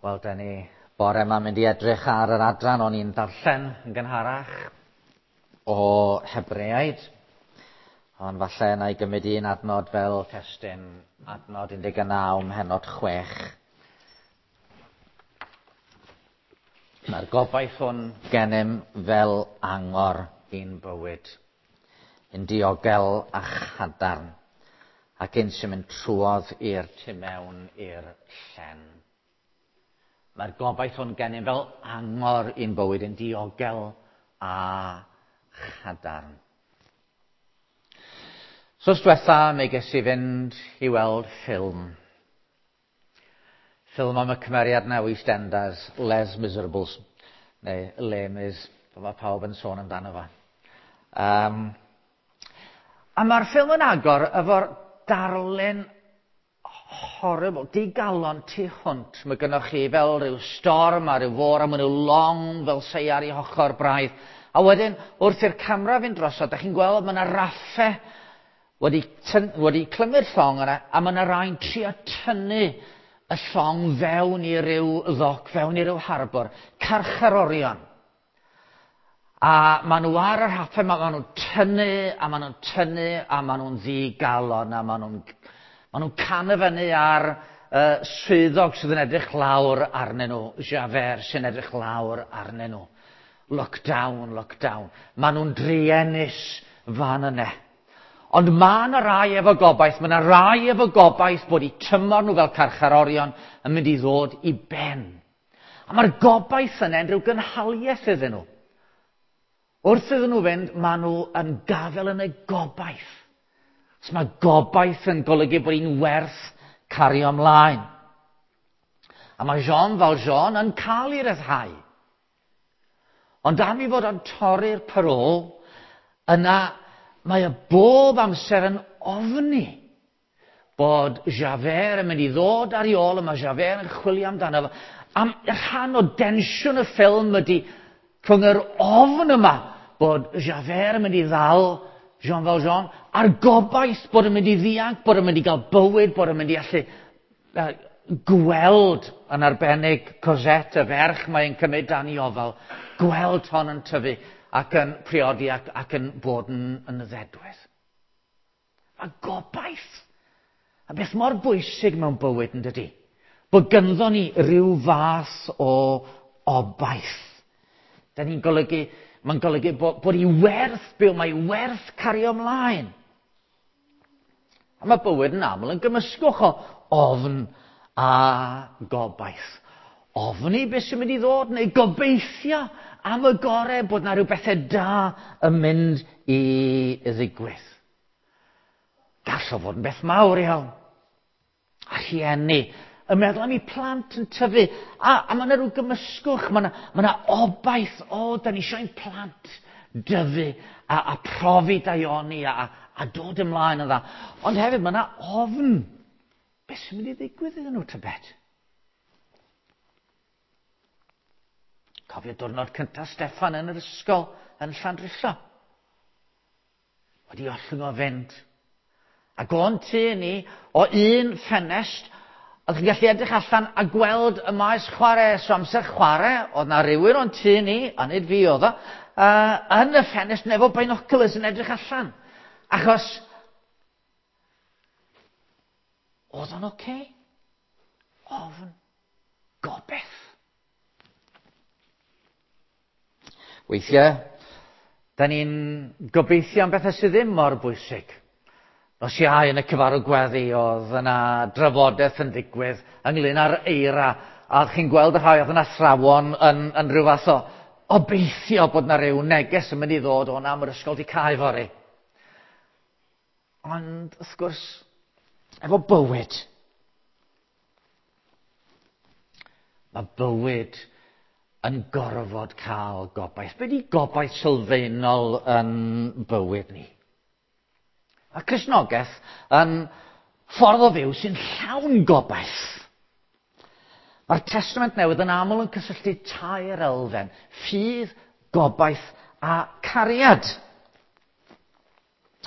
Wel, da ni bore yma mynd i edrych ar yr adran o'n i'n darllen yn gynharach o Hebreaid. Ond falle na i gymryd un adnod fel testun, adnod 19, mhenod 6. Mae'r gobaith hwn gennym fel angor i'n bywyd, yn diogel a chadarn, ac un sy'n mynd trwodd i'r tu mewn i'r llen. Mae'r gobaith hwn gennym fel angor i'n bywyd yn diogel a chadarn. So diwetha, mi ges i fynd i weld ffilm. Ffilm am y cymeriad na EastEnders, Les Miserables, neu Les Mis, mae pawb yn sôn amdano fo. A mae'r ffilm yn agor efo'r darlun horrible, digalon tu hwnt. Mae gynnoch chi fel rhyw storm a rhyw fôr a mae nhw long fel seiar i hochr braidd. A wedyn, wrth i'r camera fynd drosodd, da chi'n gweld mae yna raffau wedi, wedi clymu'r llong yna, a mae yna rai'n trio tynnu y llong fewn i ryw ddoc, fewn i ryw harbwr, carcharorion. A maen nhw ar y rhaffau, maen nhw'n tynnu, a maen nhw'n tynnu, a maen nhw'n ddigalon, a maen nhw'n maen nhw'n canu fyny ar swyddog sydd yn edrych lawr arnyn nhw, Javert sy'n edrych lawr arnyn nhw. Look down, look down. Maen nhw'n druenus fan yna. Ond mae yna rai efo gobaith, mae yna rai efo gobaith bod eu tymor nhw fel carcharorion yn mynd i ddod i ben. A mae'r gobaith yna yn rhyw gynhaliaeth iddyn nhw. Wrth iddyn nhw fynd, maen nhw yn gafel yn y gobaith. So mae gobaith yn golygu bod hi'n werth cario ymlaen. A mae Jean Valjean yn cael ei ryddhau. Ond am ei fod o'n torri'r parôl, yna mae y bob amser yn ofni bod Javert yn mynd i ddod ar ei ôl, a mae Javert yn chwilio amdano fo. Am rhan o densiwn y ffilm ydy rhwng yr ofn yma bod Javert yn mynd i ddal Jean Valjean, a'r gobaith bod yn mynd i ddianc, bod yn mynd i gael bywyd, bod yn mynd i allu gweld yn arbennig Cosette, y ferch mae'n cymryd dan ei ofal, gweld hon yn tyfu ac yn priodi ac, ac yn bod yn, yn ddedwydd. Mae gobaith. A beth mor bwysig mewn bywyd yn dydy? Bod gynddo ni rhyw fath o obaith. Da ni'n golygu, mae'n golygu bod, bod i werth byw, mae werth cario ymlaen. A mae bywyd yn aml yn gymysgwch o ofn a gobaith. Ofni beth sy'n mynd i ddod, neu gobeithio am y gorau bod na rhyw bethau da yn mynd i ddigwydd. Gall o fod yn beth mawr iawn. A rhieni yn meddwl am eu plant yn tyfu. A, a mae yna rhyw gymysgwch, mae yna, mae yna obaith, o, da ni eisiau ein plant dyfu a, a profi daioni a, a dod ymlaen yn dda. Ond hefyd mae yna ofn. Beth sy'n mynd i ddigwydd iddyn nhw tybed? Cofio diwrnod cyntaf Steffan yn yr ysgol yn Llandrillo. Wedi ollwng o fynd. Ac o'n tŷ ni, o un ffenest, oedd chi'n gallu edrych allan a gweld y maes chwarae. So amser chwarae, oedd na rhywun o'n tŷ ni, a nid fi oedd o, yn y ffenest efo binoculars yn edrych allan. Achos, oedd o'n oce? Okay? Ofn, gobeith. Weithiau, da ni'n gobeithio am bethau sydd ddim mor bwysig. Nos Iau yn y cyfarfod gweddi oedd yna drafodaeth yn digwydd ynglyn â'r eira, a chi'n gweld y rhai oedd yn athrawon yn, yn rhyw fath o obeithio bod yna rhyw neges yn mynd i ddod o na, mae'r ysgol di cau fory. Ond, wrth gwrs, efo bywyd, mae bywyd yn gorfod cael gobaith. Be di gobaith sylfaenol yn bywyd ni? Mae Cristnogaeth yn ffordd o fyw sy'n llawn gobaith. Mae'r Testament Newydd yn aml yn cysylltu tair elfen: ffydd, gobaith a cariad.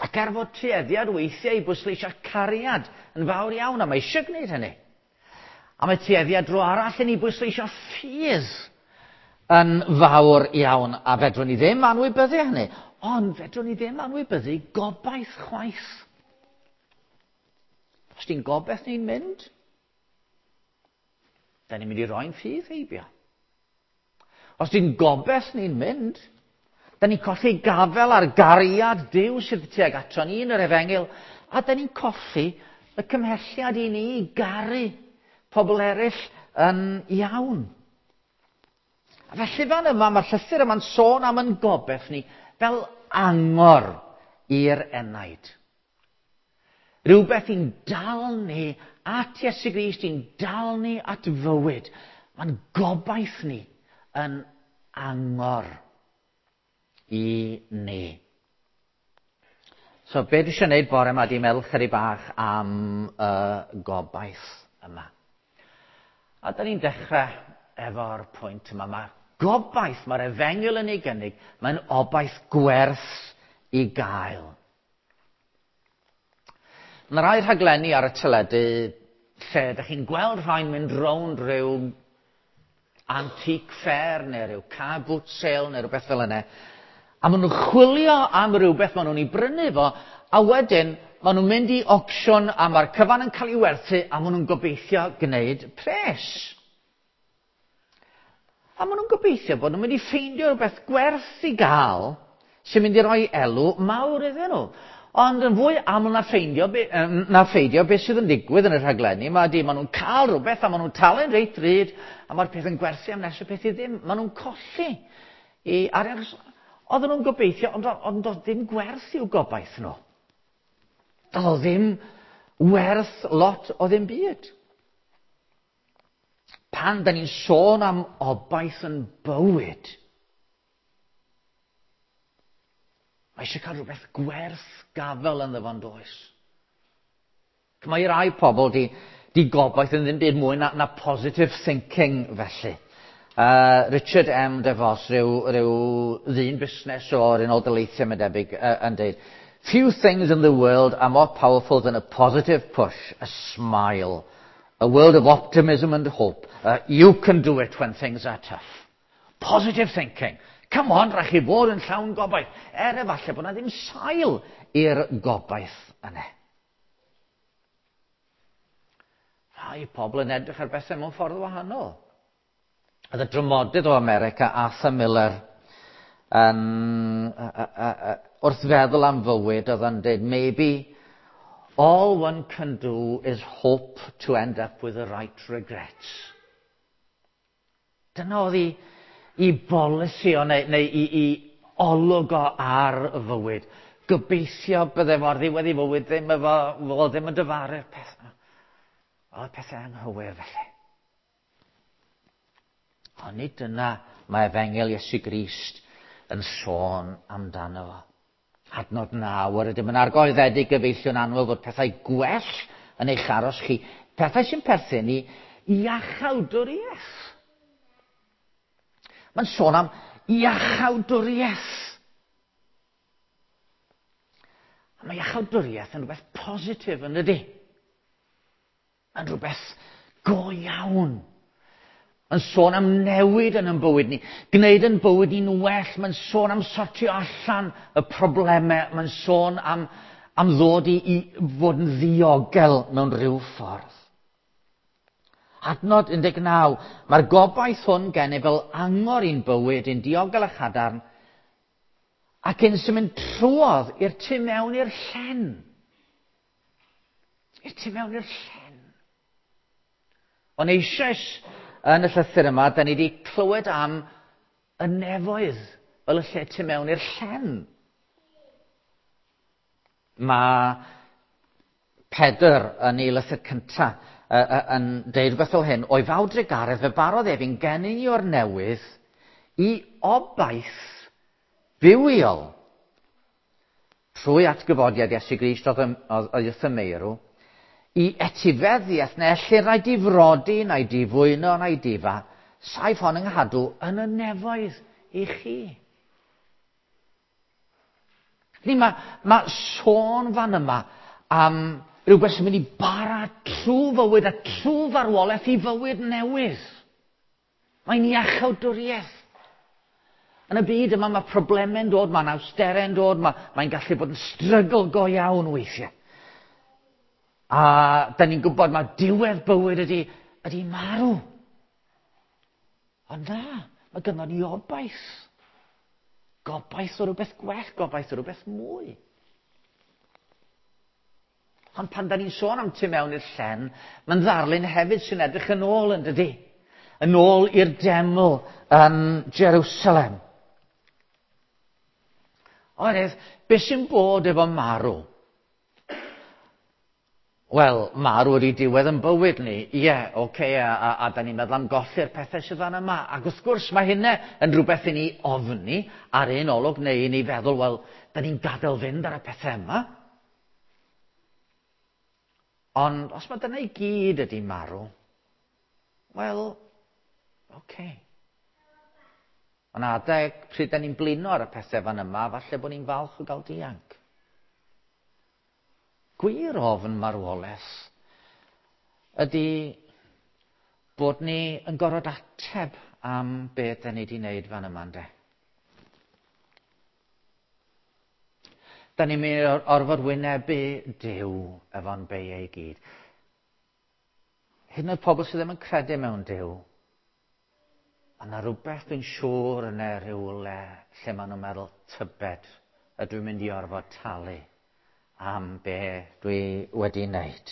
Ac er fod tueddiad weithiau i bwysleisio cariad yn fawr iawn, a mae eisiau gwneud hynny. A mae tueddiad dro arall yn ei bwysleisio ffydd yn fawr iawn, a fedrwn ni ddim anwybyddu hynny, ond fedrwn ni ddim anwybyddu gobaith chwaith. Os di'n gobaith ni'n mynd, da ni'n mynd i roi'n ffydd heibio. Os di'n gobaith ni'n mynd, da ni'n colli gafel ar gariad Duw sydd tuag ato ni yn yr efengyl, a da ni'n colli y cymhelliad i ni garu pobl eraill yn iawn. A felly fan yma, mae'r llythyr yma'n sôn am yn gobaith ni fel angor i'r enaid. Rhywbeth i'n dal ni at Iesu Grist, i'n dal ni at fywyd. Mae'n gobaith ni yn angor i ni. So, be dwi eisiau gwneud bore yma di meddwl chydig bach am y gobaith yma. A da ni'n dechrau efo'r pwynt yma. Mae gobaith, mae'r efengyl yn ei gynnig, mae'n obaith gwerth i gael. Mae rai rhaglenni ar y teledu lle ydych chi'n gweld rhai'n mynd rownd rhyw antique fair neu rhyw car boot sale neu rhywbeth fel yna. A maen nhw'n chwilio am rhywbeth maen nhw'n ei brynu fo, a wedyn maen nhw'n mynd i auction a mae'r cyfan yn cael ei werthu a maen nhw'n gobeithio gwneud pres. A maen nhw'n gobeithio bod nhw'n mynd i ffeindio rhywbeth gwerth i gael sy'n mynd i roi elw mawr iddyn nhw. Ond yn fwy aml na ffeindio, na ffeidio beth sydd yn digwydd yn y rhaglenni, mae di, maen nhw'n cael rhywbeth a maen nhw'n talu'n reit ddrud a mae'r peth yn gwerthu am nes y peth i ddim. Maen nhw'n colli i arian. Oedden nhw'n gobeithio, ond, ond doedd ddim gwerth i'w gobaith nhw. Doedd ddim werth lot o ddim byd. Pan da ni'n sôn am obaith yn bywyd, mae eisiau cael rhywbeth gwerth gafel yn ddyfon does. Mae rai pobl di, di gobaith yn ddim byd mwy na, na positive thinking felly. Richard M. DeVos, rhyw, rhyw ddyn busnes o'r Unol Daleithiau mae'n debyg, yn dweud, Few things in the world are more powerful than a positive push, a smile, a world of optimism and hope. You can do it when things are tough. Positive thinking. Come on, rhaid chi fod yn llawn gobaith. Er efallai bod yna ddim sail i'r gobaith yna. Rhai pobl yn edrych ar bethau mewn ffordd wahanol. Oedd y dramodydd o America, Arthur Miller, yn, wrth feddwl am fywyd, oedd yn dweud, maybe all one can do is hope to end up with the right regrets. Dyna oedd i, i bolisi o, neu, neu i, i olwg o ar y fywyd. Gobeithio bydde fo'r ddiwedd i fywyd ddim efo, fo ddim yn dyfaru'r peth. Oedd pethau anghywir felly. Ond nid dyna mae efengyl Iesu Grist yn sôn amdano fo. Adnod 9, yr ydym yn argoeddedig gyfeillion annwyl fod pethau gwell yn eich aros chi, pethau sy'n perthyn i iachawdwriaeth. Mae'n sôn am iachawdwriaeth. A mae iachawdwriaeth yn rhywbeth positif yn ydy. Yn rhywbeth go iawn. Mae'n sôn am newid yn ein bywyd ni, gwneud yn bywyd ni'n well. Mae'n sôn am sortio allan y problemau. Mae'n sôn am, am ddod i, i fod yn ddiogel mewn rhyw ffordd. Adnod 19. Mae'r gobaith hwn gennym fel angor i'n bywyd, i'n diogel a chadarn, ac yn sy'n mynd trwodd i'r tu mewn i'r llen. I'r tu mewn i'r llen. Ond eisoes yn y llythyr yma, da ni wedi clywed am y nefoedd fel y lle tu mewn i'r llen. Mae Pedr yn ei lythyr cyntaf yn deud rhywbeth fel hyn, o'i fawr drugaredd fe barodd ef i'n geni o'r newydd i obaith bywiol trwy atgyfodiad Iesu Grist oedd wrth y meirw, i etifeddiaeth neu ellir na'i difrodi, na'i difwyno, na'i difa, saif hon yng nghadw yn y nefoedd i chi. Ni, mae, mae sôn fan yma am Rhywbeth sy'n mynd i bara trwy fywyd a trwy farwolaeth i fywyd newydd. Mae'n iachawdwriaeth. Yn y byd yma mae problemau'n dod, mae'n awsterau'n dod, mae'n gallu bod yn strygl go iawn weithiau. A da ni'n gwybod mae diwedd bywyd ydy marw. Ond na, mae gynnon ni obaith. Gobaith o rhywbeth gwell, gobaith o rhywbeth mwy. Ond pan da ni'n sôn am tu mewn i'r llen, mae'n ddarlun hefyd sy'n edrych yn ôl yn dydy. Yn ôl i'r deml yn Jerusalem. Oherwydd, beth sy'n bod efo marw? Wel, marw ydy diwedd yn bywyd ni. Ie, yeah, oce, okay, a da ni'n meddwl am golli'r pethau sydd fan yma. Ac wrth gwrs, mae hynna yn rhywbeth i ni ofni ar un olwg neu i ni feddwl, wel, da ni'n gadael fynd ar y pethau yma. Ond os mae dyna i gyd ydy marw, wel, oce. Okay. Ond adeg pryd da ni'n blino ar y pethau fan yma, falle bod ni'n falch o gael dianc. Gwir ofn marwolaeth ydy bod ni yn gorfod ateb am beth da ni wedi wneud fan yma, ynde? Da ni'n mynd i orfod wynebu Duw efo'n beiau i gyd. Hyd yn oed pobl sydd ddim yn credu mewn Duw, mae yna rhywbeth dwi'n siŵr yn e rhywle lle maen nhw'n meddwl tybed ydw i'n mynd i orfod talu am be dwi wedi wneud.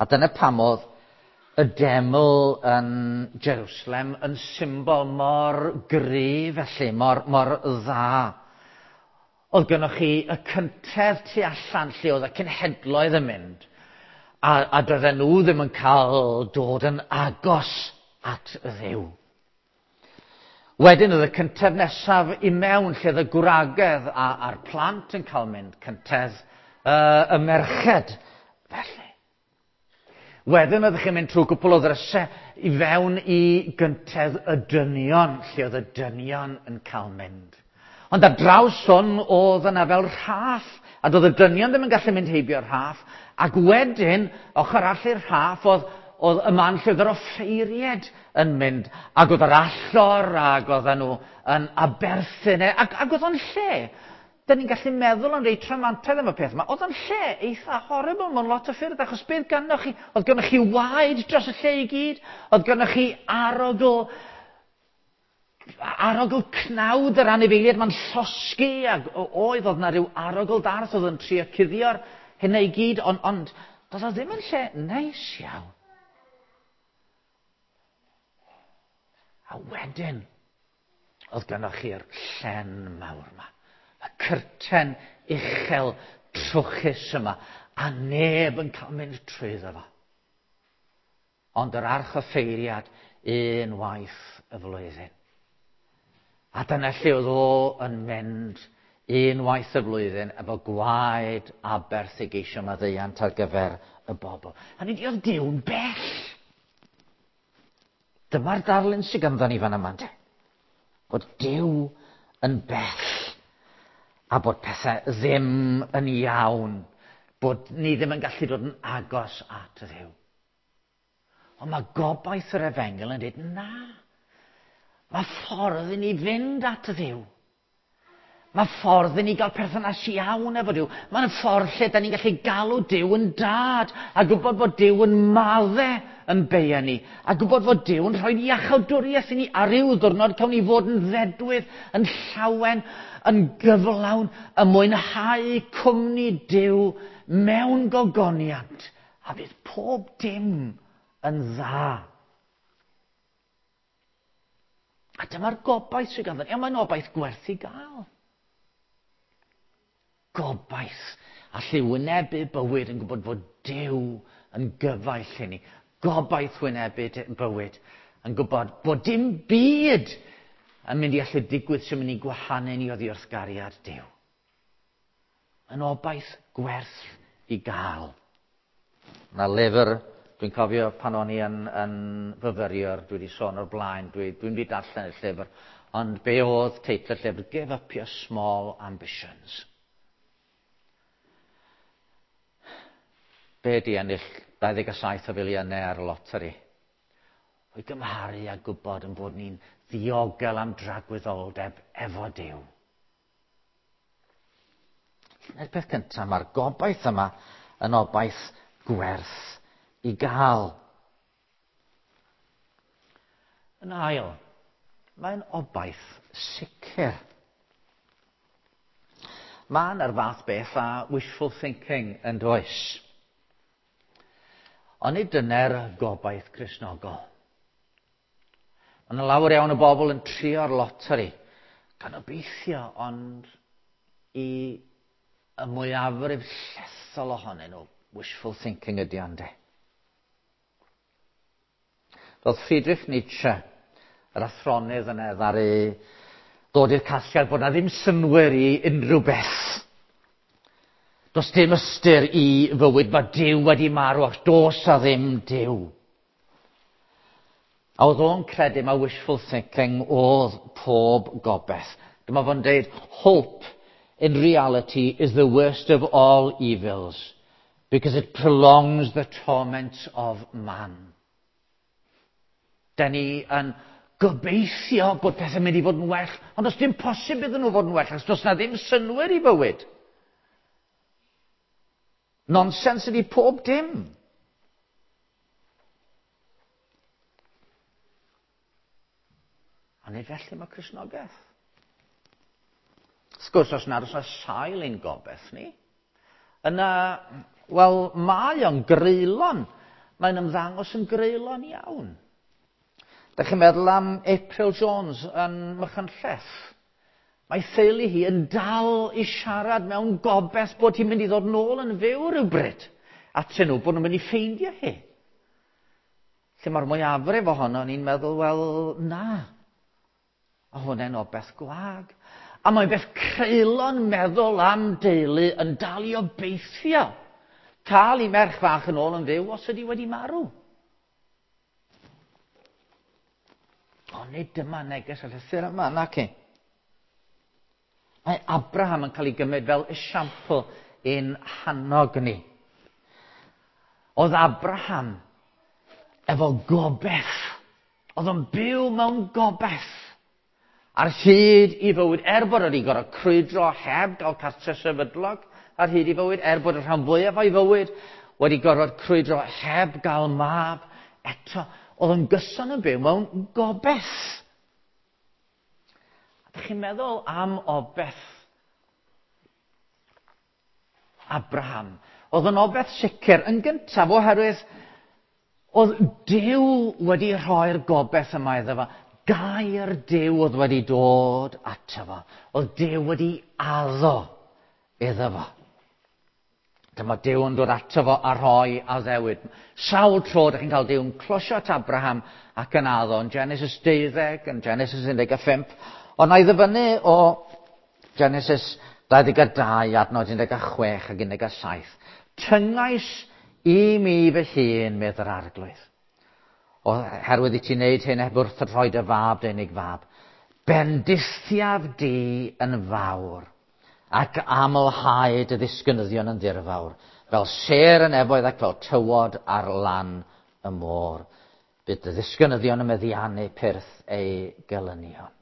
A dyna pam oedd y deml yn Jerusalem yn symbol mor gryf felly, mor dda. Oedd gynnoch chi y cyntedd tu allan lle oedd y cenhedloedd yn mynd, a doedden nhw ddim yn cael dod yn agos at Dduw. Wedyn oedd y cyntedd nesaf i mewn lle oedd y gwragedd a'r plant yn cael mynd, cyntedd y merched felly. Wedyn oeddech chi'n mynd trwy gwpl o ddrysau i fewn i gyntedd y dynion, lle oedd y dynion yn cael mynd. Ond ar draws hwn oedd yna fel rhaff, a doedd y dynion ddim yn gallu mynd heibio'r rhaff, ac wedyn, ochr arall i'r rhaff, oedd y man lle oedd yr offeiried yn mynd, ac oedd yr allor, ac oedden nhw yn aberthu, ac oedd o'n lle. Da ni'n gallu meddwl yn reit rhamantaidd am y peth yma. Oedd o'n lle eitha horrible mewn lot o ffyrdd, achos beth gynnoch chi? Oedd gynnoch chi waed dros y lle i gyd? Oedd gynnoch chi arogl cnawd yr anifeiliaid ma'n llosgi, ac oedd yna rhyw arogl darth oedd yn trio cuddio'r hynna i gyd, ond doedd o ddim yn lle neis iawn. A wedyn, oedd gynnoch chi'r llen mawr yma. Y cyrten uchel trwchus yma, a neb yn cael mynd trwyddo fo. Ond yr archoffeiriad unwaith y flwyddyn. A dyna lle oedd o yn mynd unwaith y flwyddyn efo gwaed aberth i geisio maddeuant ar gyfer y bobl. A nid oedd Duw'n bell. Dyma'r darlun sydd ganddo ni fan yma. Bod Duw yn bell. A bod pethau ddim yn iawn, bod ni ddim yn gallu dod yn agos at Dduw. Ond mae gobaith yr efengyl yn dweud, na, mae ffordd i ni fynd at Dduw. Mae ffordd i ni gael perthynas iawn efo Duw. Mae'n ffordd lle da ni'n gallu galw Duw yn dad, a gwybod bod Duw yn madde yn beia ni, a gwybod fod Duw yn rhoi iachawdwriaeth i ni, a ryw ddiwrnod cawn ni fod yn ddedwydd, yn llawen, yn gyflawn, yn mwynhau cwmni Duw mewn gogoniant, a fydd pob dim yn dda. A dyma'r gobaith sydd ganddo ni, a mae'n obaith gwerth i gael. Gobaith allu wynebu bywyd yn gwybod fod Duw yn gyfaill i ni. Gobaith wynebu bywyd yn gwybod bod dim byd yn mynd i allu digwydd sy'n mynd i gwahanu ni oddi wrth gariad Duw. Yn obaith gwerth i gael. Na lyfr, dwi'n cofio pan o'n i yn fyfyriwr, dwi wedi sôn o'r blaen, dwi'n wedi darllen y llyfr, ond be oedd teitl y llyfr? Give up your small ambitions. Be di ennill 27 o filiynau ar y loteri? O'i gymharu a gwybod yn bod ni'n ddiogel am dragwyddoldeb efo Duw. Dyna'r peth cyntaf, mae'r gobaith yma yn obaith gwerth i gael. Yn ail, mae'n obaith sicr. Mae yna'r fath beth â wishful thinking yn does. Ond nid dyna'r gobaith Cristnogol. Mae yna lawer iawn o bobl yn trio'r loteri, gan obeithio, ond i y mwyafrif llethol ohonyn nhw, wishful thinking ydy ond e. Roedd Friedrich Nietzsche, yr athronydd yna, ddaru ddod i'r casgliad bod na ddim synnwyr i unrhyw beth. Does dim ystyr i fywyd, mae Duw wedi marw ac does a ddim Duw. A oedd o'n credu mae wishful thinking oedd pob gobaith. Dyma fo'n deud, hope in reality is the worst of all evils because it prolongs the torment of man. Da ni yn gobeithio bod pethau'n mynd i fod yn well, ond does dim posib iddyn nhw fod yn well, achos does na ddim synnwyr i fywyd. Nonsens ydy pob dim. A nid felly mae Cristnogaeth. Wrth gwrs, os nad oes yna sail ein gobaith ni, yna, wel, mae o'n greulon. Mae'n ymddangos yn greulon iawn. Da chi'n meddwl am April Jones yn Machynlleth? Mae theulu hi yn dal i siarad mewn gobaith bod hi'n mynd i ddod nôl yn fyw rhywbryd. Atyn nhw, bod nhw'n mynd i ffeindio hi. Lle mae'r mwyafrif ohono ni'n meddwl, wel, na. A hwnna'n obaith gwag. A mae'n beth creulon meddwl am deulu yn dal i obeithio cael ei merch fach yn ôl yn fyw os ydy wedi marw. Ond nid dyma neges y llythyr yma, nac i. Mae Abraham yn cael ei gymryd fel esiampl i'n hannog ni. Oedd Abraham efo gobaith. Oedd o'n byw mewn gobaith. Ar hyd i fywyd, er bod wedi gorfod crwydro heb gael cartre sefydlog, ar hyd i fywyd, er bod y rhan fwyaf o'i fywyd wedi gorfod crwydro heb gael mab, eto, oedd yn gyson yn byw mewn gobaith. A ydych chi'n meddwl am obaith Abraham? Oedd yn obaith sicr yn gyntaf oherwydd oedd Duw wedi rhoi'r gobaith yma iddo fo. Gair Duw oedd wedi dod ato fo. Oedd Duw wedi addo iddo fo. Dyma Duw yn dod ato fo a rhoi addewid. Sawl tro ydych chi'n cael Duw yn closio at Abraham ac yn addo yn Genesis 12, yn Genesis 15. Ond na i ddyfynnu o Genesis 22, adnod 16 ac 17. Tyngais i mi fy hun, medd yr arglwydd. Oherwydd i ti wneud hyn heb wrth rhoi dy fab, dy unig fab. Bendithiaf di yn fawr ac amlhau dy ddisgynyddion yn ddirfawr, fel sêr y nefoedd ac fel tywod ar lan y môr. Bydd dy ddisgynyddion yn meddiannu pyrth eu gelynion.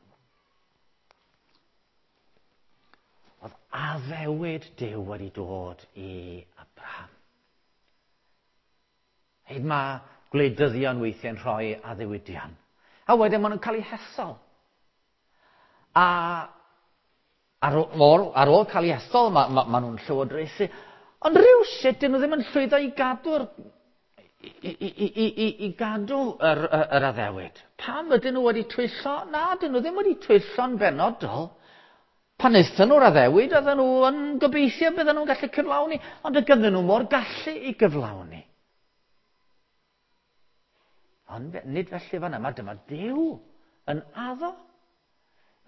Oedd addewid Duw wedi dod i Abraham. Hyd mae gwleidyddion weithiau'n rhoi addewidion. A wedyn maen nhw'n cael eu hethol. A ar ôl, ar ôl cael eu hethol, mae ma, ma nhw'n llywodraethu. Ond rhywsut, dyn nhw ddim yn llwyddo i gadw'r i, i, i, i, i gadw yr, yr, yr addewid. Pam ydyn nhw wedi twyllo? Na, dyn nhw ddim wedi twyllo'n benodol. Pan wnaethon nhw'r addewid, oedden nhw yn gobeithio bydden nhw'n gallu cyflawni, ond y gyddyn nhw mor gallu i gyflawni. Ond nid felly fan'na, mae dyma Duw yn addo.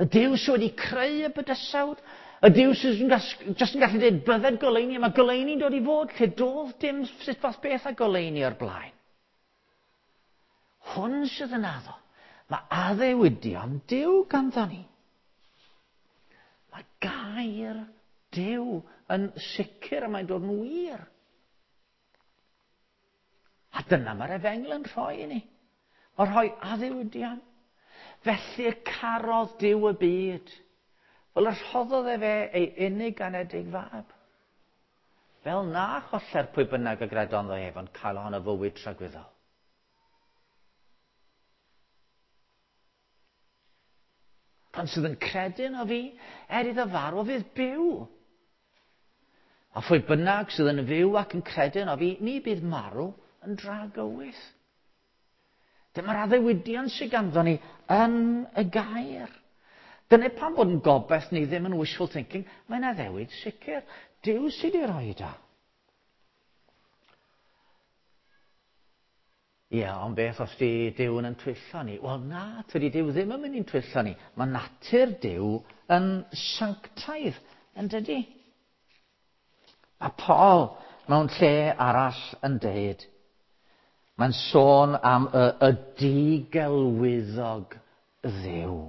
Y Duw sydd wedi creu y bydysawd, y Duw sydd jyst yn gallu dweud bydded goleuni, a mae goleuni'n dod i fod lle doedd dim sut fath beth a goleuni o'r blaen. Hwn sydd yn addo. Mae addewidion Duw ganddo ni. Mae gair Duw yn sicr a mae'n dod yn wir. dyna mae'r efengyl yn rhoi i ni. Mae'n rhoi addewidion. Felly y carodd Duw y byd, fel y rhoddodd efe ei unig anedig fab. Fel na choller pwy bynnag y gredo ynddo ef, ond cael ohono fywyd tragwyddol. Pan sydd yn credu yno fi, er iddo farw, fydd byw. A phwy bynnag sydd yn fyw ac yn credu yno fi, ni bydd marw yn dragywydd. Dyma'r addewidion sydd ganddo ni yn y gair. Dyna pam bod yn gobaith ni ddim yn wishful thinking, mae'n addewid sicr. Duw sydd wedi rhoi o. Ie, ond beth os di Duw yn twyllo ni? Wel na, tydi Duw ddim yn mynd i'n twyllo ni. Mae natur Duw yn sanctaidd, yn dydi? Mae Paul mewn lle arall yn deud, mae'n sôn am y digelwyddog Dduw.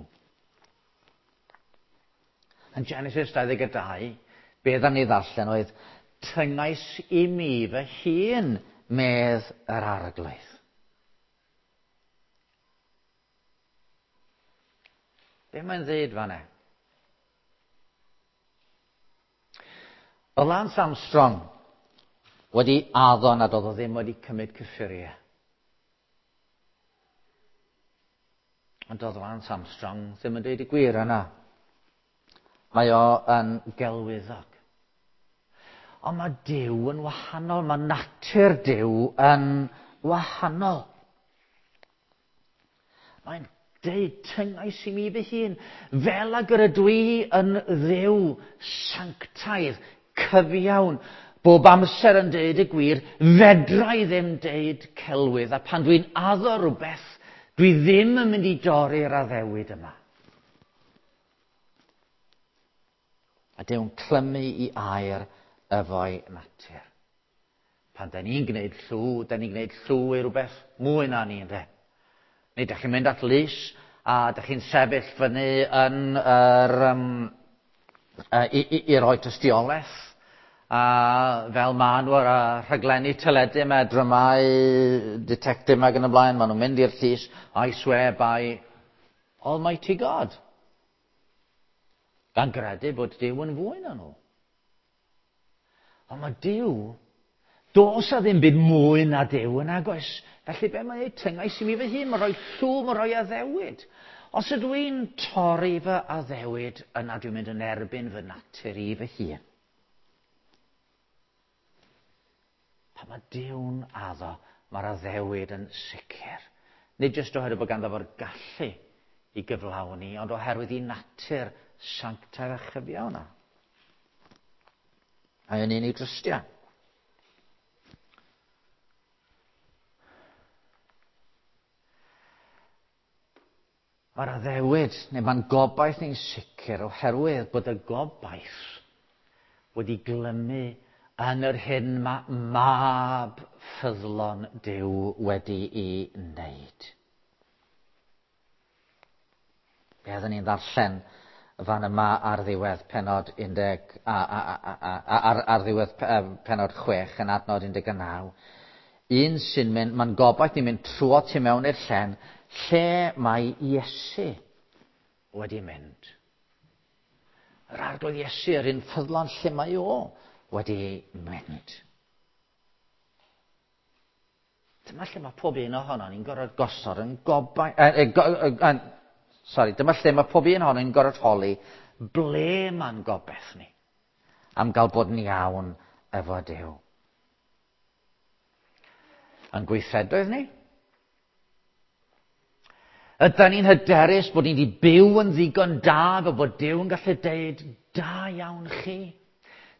Yn Genesis 22, be dda ni ddarllen oedd, tyngais i mi fy hun, medd yr arglwydd. Be mae'n ddeud fan'na? Oedd Lance Armstrong wedi addo nad oedd o ddim wedi cymryd cyffuriau. Ond oedd Lance Armstrong ddim yn dweud y gwir yna. Mae o yn gelwyddog. Ond mae Duw yn wahanol, mae natur Duw yn wahanol. Mae'n deud, tyngais i mi fy hun, fel ag yr ydw i yn Dduw sanctaidd, cyfiawn, bob amser yn deud y gwir, fedra i ddim deud celwydd, a pan dwi'n addo rhywbeth, dwi ddim yn mynd i dorri'r addewid yma. A Duw'n clymu i air efo'i natur. Pan da ni'n gwneud llw, da ni'n gwneud llw i rhywbeth mwy na ni, ynde? Neu da chi'n mynd at lys a da chi'n sefyll fyny yn yr, i roi tystiolaeth. A fel maen nhw ar y rhaglenni teledu yma, dramâu, detective yma ac yn y blaen, maen nhw'n mynd i'r llys, I swear by Almighty God. Gan gredu bod Duw yn fwy na nhw. Ond mae Duw, does a ddim byd mwy na Duw yn agos. Felly be mae'n ei tyngais i mi fy hun, mae'n rhoi llw, mae'n rhoi addewid. Os ydw i'n torri fy addewid, yna dwi'n mynd yn erbyn fy natur i fy hun. Pan mae Duw'n addo, mae'r addewid yn sicr. Nid jyst oherwydd bod ganddo fo'r gallu i gyflawni, ond oherwydd i natur sanctaidd a chyfiawn yna. Mae o'n un i drystio. Mae'r addewid, neu mae'n gobaith ni'n sicr oherwydd bod y gobaith wedi glymu yn yr hyn mae mab ffyddlon Duw wedi'i wneud. Be oedden ni'n ddarllen fan yma ar ddiwedd pennod 10, ar ddiwedd pennod 6 yn adnod 19. Un sy'n mynd, mae'n gobaith ni'n mynd trwy tu mewn i'r llen, lle mae Iesu wedi mynd. Yr arglwydd Iesu, yr un ffyddlon lle mae o wedi mynd. Dyma lle mae pob un ohono ni'n gorfod gosod yn gobaith... Dyma lle mae pob un ohono ni'n gorfod holi ble mae'n gobaith ni am gael bod yn iawn efo Duw. Yn gweithredoedd ni? Ydan ni'n hyderus bod ni wedi byw yn ddigon da fel bod Duw yn gallu deud, da iawn chi.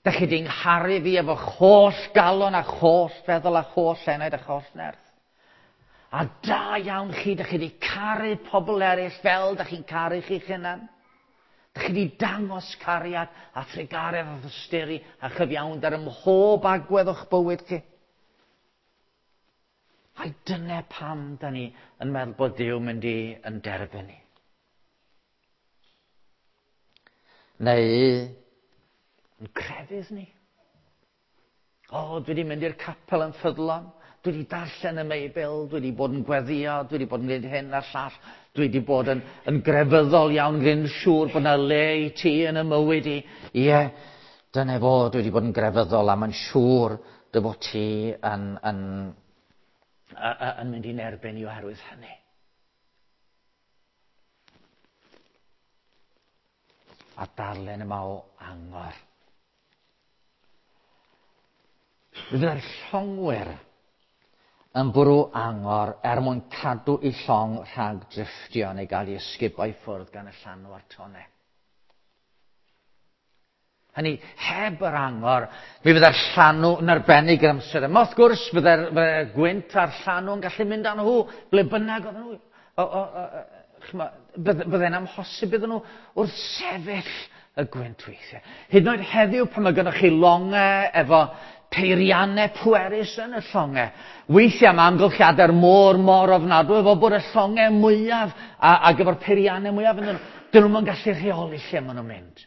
Da chi wedi ngharu fi efo holl galon a holl feddwl a holl enaid a holl nerth. A da iawn chi, da chi wedi caru pobl eraill fel da chi'n caru chi'ch hunan. Da chi wedi dangos cariad a thrugaredd a thosturi a chyfiawnder ym mhob agwedd o'ch bywyd chi. A dyna pam da ni yn meddwl bod Duw mynd i yn derbyn ni. Neu yn crefydd ni. O, dwi wedi mynd i'r capel yn ffyddlon. Dwi wedi darllen y Meibl, dwi wedi bod yn gweddio, dwi wedi bod yn gwneud hyn a'r llall, dwi wedi bod yn, yn grefyddol iawn, gwneud yn siŵr bod yna le i ti yn y mywyd i. Ie, dyna fo, dwi wedi bod yn grefyddol a mae'n siŵr dy fod ti yn, yn, yn mynd i'n erbyn i oherwydd hynny. A darllen yma o angor. Fydde'r llongwyr yn bwrw angor er mwyn cadw i llong rhag drifftio neu gael ei ysgubo i ffwrdd gan y llanw a'r tone. Hynny, heb yr angor, mi fydde'r llanw yn arbennig yr amser yma. Wrth gwrs, fydde'r fydde gwynt a'r llanw yn gallu mynd â nhw, ble bynnag oedden nhw. O, o, o, bydde'n amhosib iddyn nhw wrth sefyll y gwynt weithiau. Hyd yn oed heddiw pan mae gennych chi longau efo peiriannau pwerus yn y llongau. Weithiau mae amgylchiadau'r môr mor ofnadwy efo bod y llongau mwyaf a, ac efo'r peiriannau mwyaf yn nhw, dyn nhw'n gallu rheoli lle maen nhw'n mynd.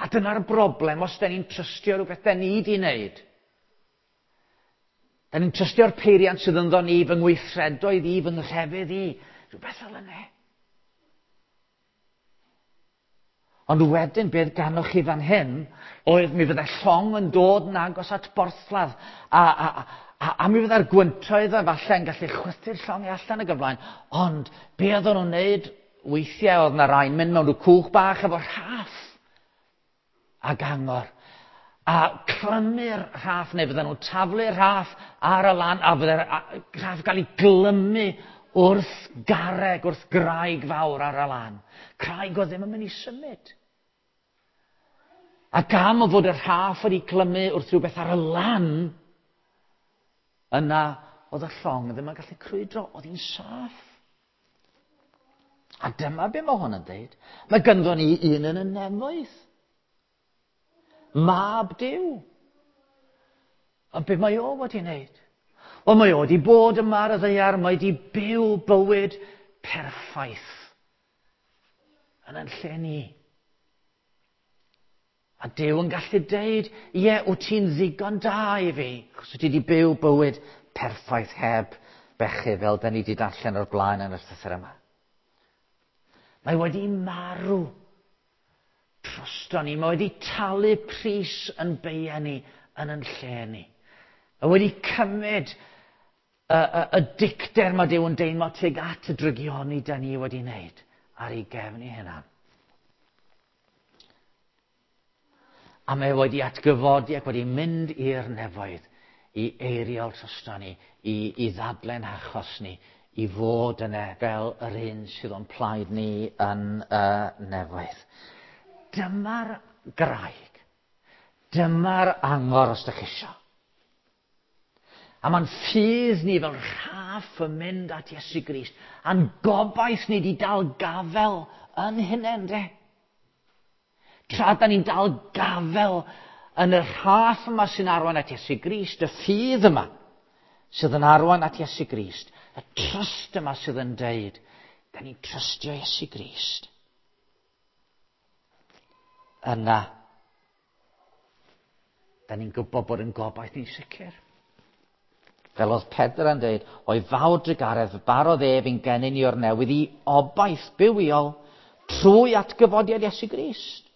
A dyna'r broblem os da ni'n trystio rhywbeth da ni di wneud. Da ni'n trystio'r peiriant sydd ynddo ni, fy ngweithredoedd i, fy nghrefydd i. Rhywbeth fel yna. Ond wedyn, beth ganoch chi fan hyn, oedd mi fydde llong yn dod yn agos at borthladd, a, a, a, a mi fydde'r gwyntoedd a falle yn gallu chwythu'r llong allan ag ymlaen. Ond be oedden nhw'n wneud weithiau oedd na rai'n mynd mewn rhyw cwch bach efo rhaff ag angor. A clymu'r rhaff, neu fydden nhw'n taflu'r rhaff ar y lan, a fydde'r rhaff gael ei glymu wrth garreg, wrth graig fawr ar y lan. Craig oedd ddim yn mynd i symud. A gam o fod y rhaff wedi clymu wrth rhywbeth ar y lan, yna oedd y llong ddim yn gallu crwydro, oedd hi'n saff. A dyma be mae hwn yn dweud. Mae ganddo ni un yn y nefoedd. Mab Duw. A be mae o wedi wneud? Wel, mae o wedi bod yma ar y ddaear, mae wedi byw bywyd perffaith yn yn lle ni. A Duw yn gallu deud, ie, wyt ti'n ddigon da i fi, achos wyt ti wedi byw bywyd perffaith heb bechu, fel da ni wedi darllen o'r blaen yn y llythyr yma. Mae wedi marw drosto ni. Mae wedi talu pris yn beia ni yn yn lle ni. Mae wedi cymryd y, y, y dicter mae Duw yn deimlo tuag at y drygioni da ni wedi wneud ar ei gefn ei hunan. A mae wedi atgyfodi ac wedi mynd i'r nefoedd i eiriol drosto ni, i, i ddadlen achos ni, i fod yna fel yr un sydd o'n plaid ni yn y nefoedd. Dyma'r graig. Dyma'r angor os ydych chi isio. A mae'n ffydd ni fel rhaff yn mynd at Iesu Grist. A'n gobaith ni wedi dal gafel yn hynny, de. Tra da ni'n dal gafel yn y rhaff yma sy'n arwain at Iesu Grist, y ffydd yma sydd yn arwain at Iesu Grist, y trust yma sydd yn deud, da ni'n trystio Iesu Grist. Yna, da ni'n gwybod bod yn gobaith ni'n sicr. Fel oedd Pedr yn dweud, o'i fawr drugaredd barodd ef i'n genyn ni o'r newydd i obaith bywiol trwy atgyfodiad Iesu Grist.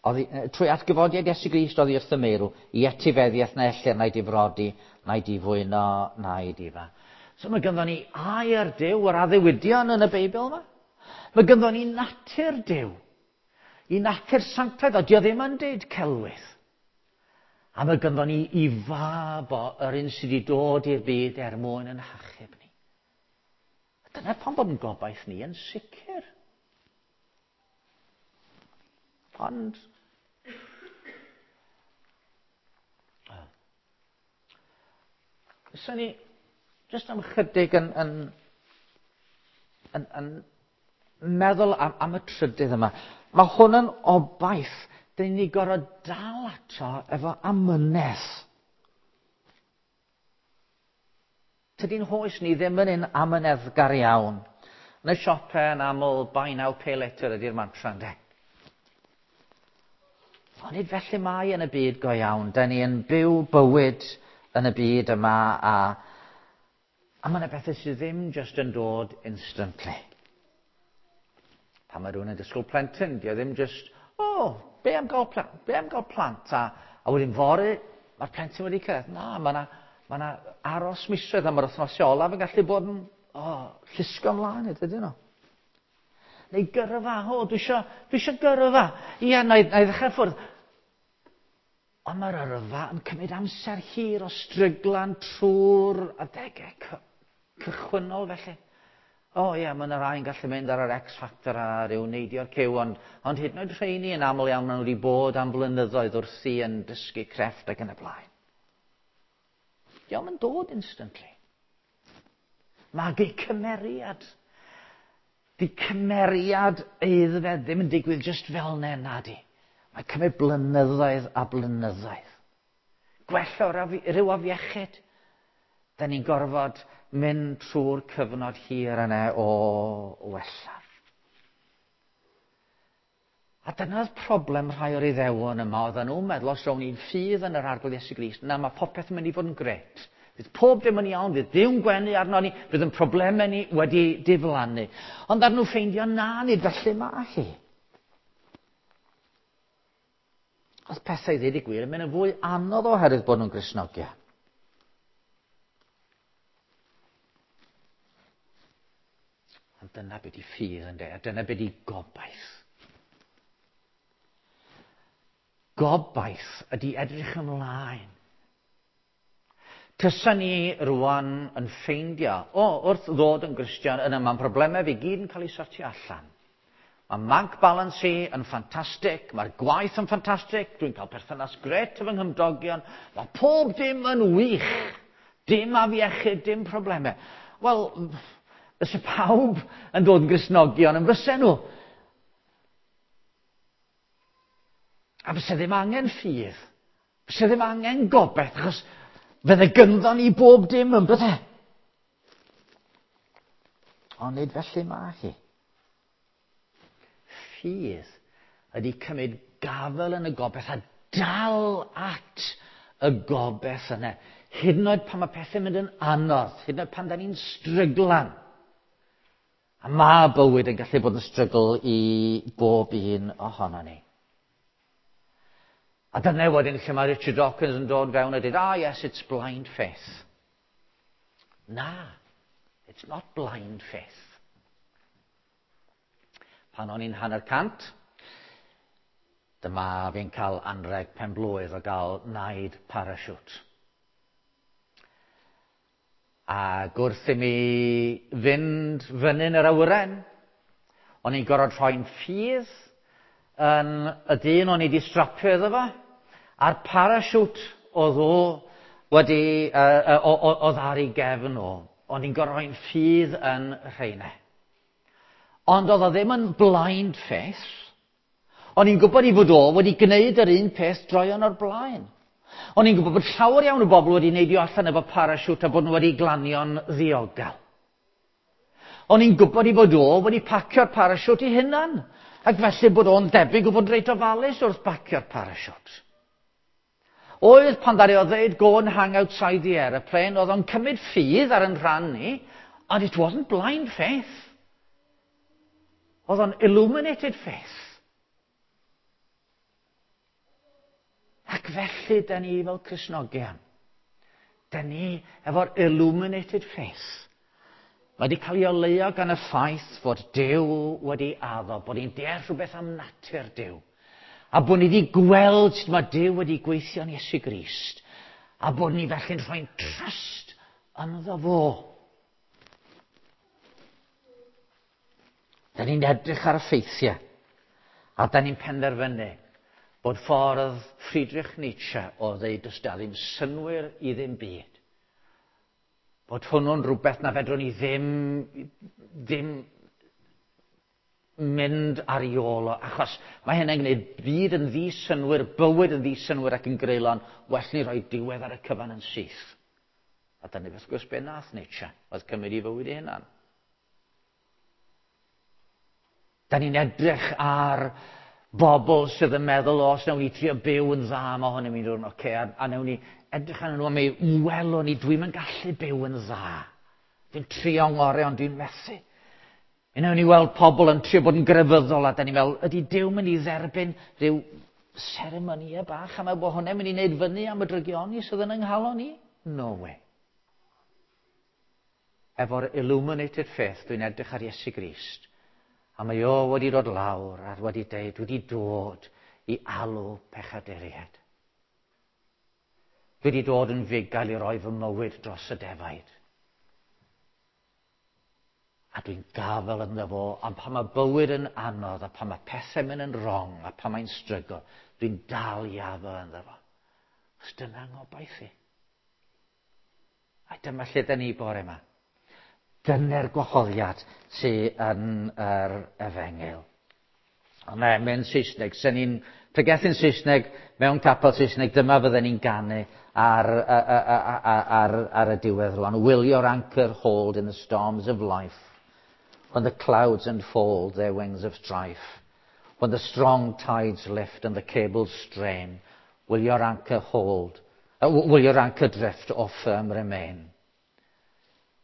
Oddi, trwy atgyfodiad Iesu Grist oddi wrth y meirw, i etifeddiaeth na ellir na'i difrodi, na'i difwyno, na'i difa. So mae ganddo ni air Duw, yr addewidion yn y Beibl yma. Mae ganddo ni natur Duw. I natur sanctaidd, o dio ddim yn deud celwydd. A mae ganddo ni i fab o yr un sydd wedi dod i'r byd er mwyn yn hachub ni. A dyna pam bod yn gobaith ni yn sicr. Ond Fyswn ni jyst am chydig yn, yn, yn, yn meddwl am, am y trydydd yma. Mae hwn yn obaith. Dyn ni gorfod dal ato efo amynedd. Tydi'n hoes ni ddim yn un amyneddgar iawn. Yn y siopau yn aml, buy now, pay later ydy'r mantra, yndê? Ond nid felly mae yn y byd go iawn. Da ni yn byw bywyd yn y byd yma a mae yna bethau sydd ddim just yn dod instantly. Pan mae rhywun yn disgwyl plentyn, di o ddim just, o, oh, be am gael plant? Be am gael plant? A wedyn fory, mae'r plentyn wedi cyrraedd. Na, mae yna ma aros misoedd am yr wythnosau olaf yn gallu bod yn oh, llusgo ymlaen, ydyn nhw. Neu gyrfa, o, dwi eisiau gyrfa. Ia, na i ddechrau ffwrdd. Ond mae'r yrfa yn cymryd amser hir o stryglan trwy'r adegau cychwynnol felly. O ie, mae yna rai yn gallu mynd ar yr X Factor a rhyw neidio'r cyw, ond hyd yn oed rheini yn aml iawn maen nhw wedi bod am flynyddoedd wrthi yn dysgu crefft ac yn y blaen. Dio'm yn dod instantly. Magu cymeriad. Di cymeriad aeddfed ddim yn digwydd just fel 'na, nadi. Mae'n cymryd blynyddoedd a blynyddoedd. Gwella o'r rhyw afiechyd. Da ni'n gorfod mynd trwy'r cyfnod hir yna o wella. A dyna'r problem rhai o'r Iddewon yma, oedden nhw'n meddwl os rown ni'n ffydd yn yr Arglwydd Iesu Grist, na mae popeth yn mynd i fod yn gret. Fydd pob dim yn iawn, fydd Duw'n gwenu arno ni, fydd yn problemau ni wedi diflannu. Ond ar nhw ffeindio na, nid felly mae hi. Oedd pethau ddweud y gwir yn mynd yn fwy anodd oherwydd bod nhw'n Gristnogion. Ond dyna beth di ffydd ynde, a dyna beth di gobaith. Gobaith ydy edrych ymlaen. Tysa ni rwan yn ffeindio, o, wrth ddod yn Gristion, yna mae'n problemau fi gyd yn cael ei sortio allan. Mae bank balance i yn ffantastig, mae'r gwaith yn ffantastig, dwi'n cael perthynas gret efo nghymdogion, mae pob dim yn wych. Dim afiechyd, dim problemau. Wel, fysa pawb yn dod yn Gristnogion yn fysa nhw. A fysa ddim angen ffydd. Fysa ddim angen gobaith, achos fydde gynddo ni bob dim yn bydde. Ond nid felly mae hi. Ffydd ydy cymryd gafel yn y gobaith a dal at y gobaith yna. Hyd yn oed pan mae pethau'n mynd yn anodd, hyd yn oed pan da ni'n stryglan. A mae bywyd yn gallu bod yn strygl i bob un ohono ni. A dyna wedyn lle mae Richard Dawkins yn dod fewn a dweud, ah yes, it's blind faith. Na, it's not blind faith. Pan o'n i'n 150, dyma fi'n cael anreg pen blwydd o gael naid parachute. A gwrth i mi fynd fyny'n yr awyren, o'n i'n gorfod rhoi'n ffydd yn y dyn o'n i wedi strapio iddo fo, a'r parachute oedd o wedi, oedd ar ei gefn o. O'n i'n gorfod rhoi'n ffydd yn rheina. Ond oedd o ddim yn blind faith. O'n i'n gwybod i fod o wedi gwneud yr un peth droion o'r blaen. O'n i'n gwybod bod llawer iawn o bobl wedi neidio allan efo parachute a bod nhw wedi glanio'n ddiogel. O'n i'n gwybod i fod o wedi pacio'r parachute i hunan. Ac felly bod o'n debyg o fod reit ofalus wrth bacio'r parachute. Oedd pan ddaru o ddeud go and hang outside the aeroplane, oedd o'n cymryd ffydd ar yn rhan ni, and it wasn't blind faith. Oedd o'n illuminated faith. Ac felly, da ni fel Cristnogion, da ni efo'r illuminated faith. Mae wedi cael ei oleuo gan y ffaith fod Duw wedi addo, bod ni'n deall rhywbeth am natur Duw. A bod ni wedi gweld sut mae Duw wedi gweithio yn Iesu Grist. A bod ni felly'n rhoi'n trust ynddo fo. Da ni'n edrych ar y ffeithiau. A da ni'n penderfynu bod ffordd Friedrich Nietzsche o ddeud does da ddim synnwyr i ddim byd. Bod hwnnw'n rhywbeth na fedrwn ni ddim mynd ar ei ôl o, achos mae hynny'n gwneud byd yn ddisynnwyr, bywyd yn ddisynnwyr ac yn greulon, well ni roi diwedd ar y cyfan yn syth. A dyna wrth gwrs be nath Nietzsche, oedd cymryd i fywyd ei hunan. Da ni'n edrych ar Bobl sydd yn meddwl, os nawn ni trio byw yn dda, mae hwn yn mynd o'r oce, a, a nawn ni edrych arnyn nhw a mi welwn ni, dwi'n yn gallu byw yn dda. Dwi'n trio ngorau, ond dwi'n methu. Mi wnawn ni weld pobl yn trio bod yn grefyddol a da ni'n meddwl, ydy Duw mynd i dderbyn rhyw seremonïau bach a meddwl bod hwnna'n mynd i wneud fyny am y drygioni sydd yn yng nghalon ni? No way. Efo'r illuminated faith, dwi'n edrych ar Iesu Grist. A mae o wedi dod lawr a wedi deud, dwi wedi dod i alw pechaduriaid. Dwi wedi dod yn fugail i roi fy mywyd dros y defaid. A dwi'n gafel ynddo fo, ond pan mae bywyd yn anodd, a pan mae pethau'n mynd yn wrong, a pan mae'n strygl, dwi'n dal i afel ynddo fo. Os dyna ngobaith i. A dyma lle da ni bore yma. Dyna'r gwahoddiad sydd yn yr efengyl. Ond na, mewn Saesneg, sen ni'n pregethu'n Saesneg mewn capel Saesneg, dyma fydden ni'n ganu ar, ar, ar, ar y diwedd rwan. Will your anchor hold in the storms of life? When the clouds unfold their wings of strife? When the strong tides lift and the cables strain, will your anchor hold? Will your anchor drift or firm remain?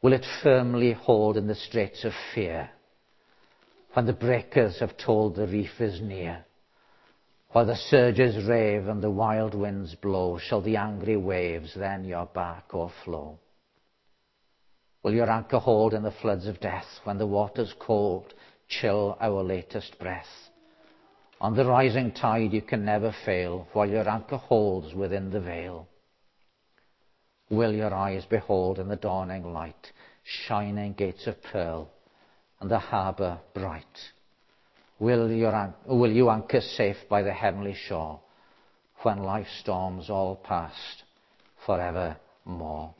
Will it firmly hold in the straits of fear? When the breakers have told the reef is near? While the surges rave and the wild winds blow, shall the angry waves then your bark o'erflow? Will your anchor hold in the floods of death, when the waters cold chill our latest breath? On the rising tide you can never fail, while your anchor holds within the veil. Will your eyes behold in the dawning light, shining gates of pearl, and the harbour bright? Will, your, will you anchor safe by the heavenly shore, when life's storms all past forevermore?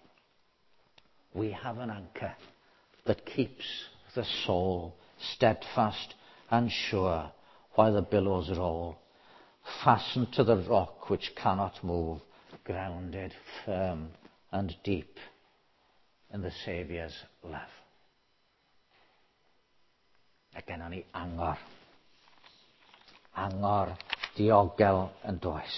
We have an anchor that keeps the soul steadfast and sure while the billows roll, fastened to the rock which cannot move, grounded firm and deep in the Saviour's love. A gennon ni angor. Angor diogel yn does.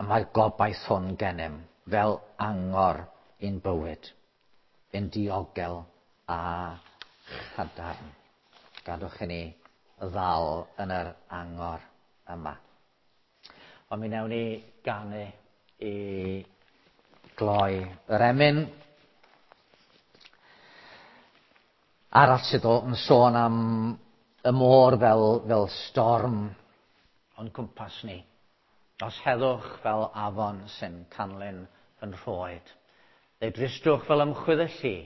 A mae'r gobaith hwn gennym fel angor i'n bywyd, yn diogel a chadarn. Gadwch i ni ddal yn yr angor yma. Ond mi wnawn ni ganu i gloi yr emyn. Arall sydd yn sôn am y môr fel, fel storm o'n cwmpas ni. Os heddwch fel afon sy'n canlyn yn rhoed. Neu dristwch fel ymchwydd y lli.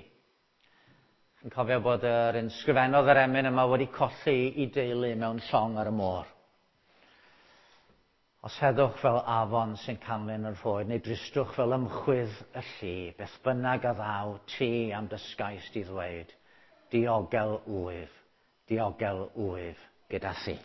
Yn cofio bod yr un sgrifennodd yr emyn yma wedi colli i deulu mewn llong ar y môr. Os heddwch fel afon sy'n canlyn yn rhoed, neu dristwch fel ymchwydd y lli, beth bynnag a ddaw ti am dysgais di ddweud, diogel wyf, diogel wyf gyda thi.